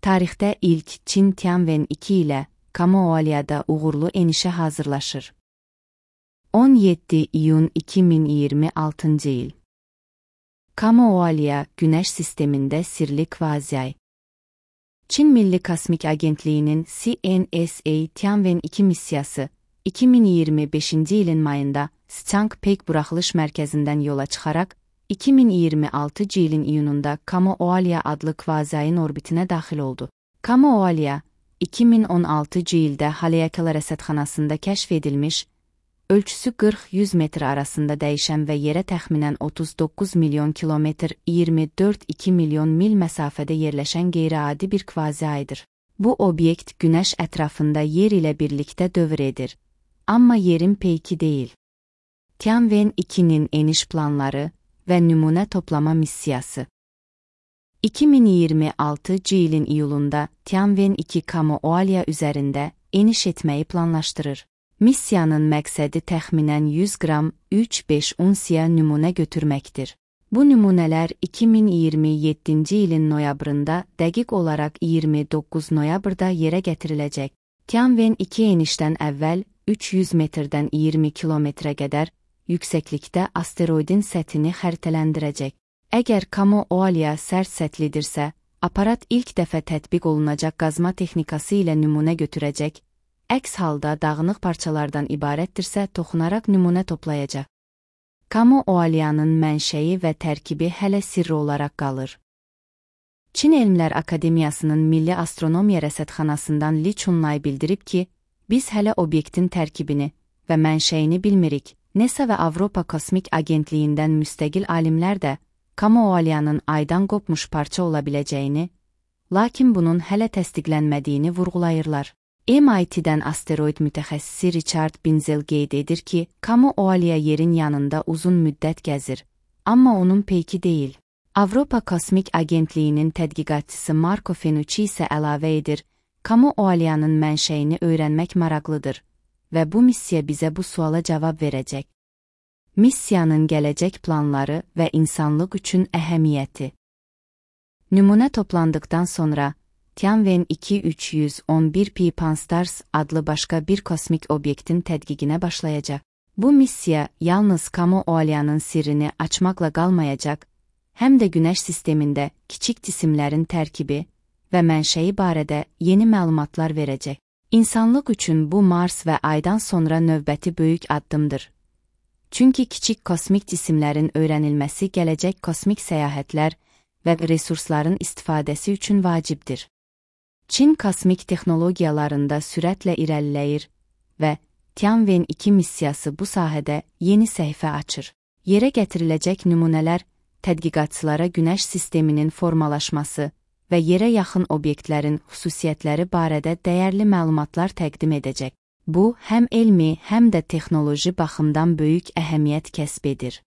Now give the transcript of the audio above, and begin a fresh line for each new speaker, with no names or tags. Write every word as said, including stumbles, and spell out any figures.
Tarixdə ilk Çin Tianwen iki ilə Kamoalia'da uğurlu enişə hazırlaşır. on yeddi iyun iki min iyirmi altıncı il. Kamoalia Günəş sistemində sirli kvaziyay. Çin Milli Kosmik Agentliyinin C N S A Tianwen iki missiyası iki min iyirmi beşinci ilin mayında Changpek buraxılış mərkəzindən yola çıxaraq iki min iyirmi altıncı ilin iyununda Kamoalia adlı kvaziyayın orbitinə daxil oldu. Kamoalia iki min on altıncı ildə Haleakala rəsədxanasında kəşf edilmiş, ölçüsü qırx yüz metr arasında dəyişən və yerə təxminən otuz doqquz milyon kilometr iyirmi dörd iki milyon mil məsafədə yerləşən qeyri-adi bir kvaziyaydır. Bu obyekt Günəş ətrafında yer ilə birlikdə dövr edir, amma yerin peyki deyil. Tianwen ikinin eniş planları və nümunə toplama missiyası. iki min iyirmi altıncı ilin iyulunda Tianwen iki Kamoalia üzərində eniş etməyi planlaşdırır. Missiyanın məqsədi təxminən yüz qram üç beş unsiya nümunə götürməkdir. Bu nümunələr iki min iyirmi yeddinci ilin noyabrında, dəqiq olaraq iyirmi doqquz noyabrda yerə gətiriləcək. Tianwen iki enişdən əvvəl üç yüz metrdən iyirmi kilometrə qədər yüksəklikdə asteroidin səthini xəritələndirəcək. Əgər Kamoalia sərt sətlidirsə, aparat ilk dəfə tətbiq olunacaq qazma texnikası ilə nümunə götürəcək, əks halda dağınıq parçalardan ibarətdirsə toxunaraq nümunə toplayacaq. Kamoalia'nın mənşəyi və tərkibi hələ sirri olaraq qalır. Çin Elmlər Akademiyasının Milli Astronomiya Rəsədxanasından Li Chunlay bildirib ki, biz hələ obyektin tərkibini və mənşəyini bilmirik. NASA və Avropa Kosmik Agentliyindən müstəqil alimlər də Kamoalia'nın aydan qopmuş parça ola biləcəyini, lakin bunun hələ təsdiqlənmədiyini vurğulayırlar. M I T'dən asteroid mütəxəssisi Richard Binzel qeyd edir ki, Kamoalia yerin yanında uzun müddət gəzir, amma onun peyki deyil. Avropa Kosmik Agentliyinin tədqiqatçısı Marco Fenucci isə əlavə edir, Kamoalia'nın mənşəyini öyrənmək maraqlıdır və bu missiya bizə bu suala cavab verəcək. Missiyanın gələcək planları və insanlıq üçün əhəmiyyəti. Nümunə toplandıqdan sonra, Tianwen iki üç yüz on bir P Pan-STARRS adlı başqa bir kosmik obyektin tədqiqinə başlayacaq. Bu missiya yalnız Kamoalia'nın sirrini açmaqla qalmayacaq, həm də Günəş sistemində kiçik cisimlərin tərkibi və mənşəyi barədə yeni məlumatlar verəcək. İnsanlıq üçün bu Mars və Aydan sonra növbəti böyük addımdır. Çünki kiçik kosmik cisimlərin öyrənilməsi gələcək kosmik səyahətlər və resursların istifadəsi üçün vacibdir. Çin kosmik texnologiyalarında sürətlə irəliləyir və Tianwen iki missiyası bu sahədə yeni səhifə açır. Yerə gətiriləcək nümunələr tədqiqatçılara Günəş sisteminin formalaşması və yerə yaxın obyektlərin xüsusiyyətləri barədə dəyərli məlumatlar təqdim edəcək. Bu, həm elmi, həm də texnoloji baxımdan böyük əhəmiyyət kəsb edir.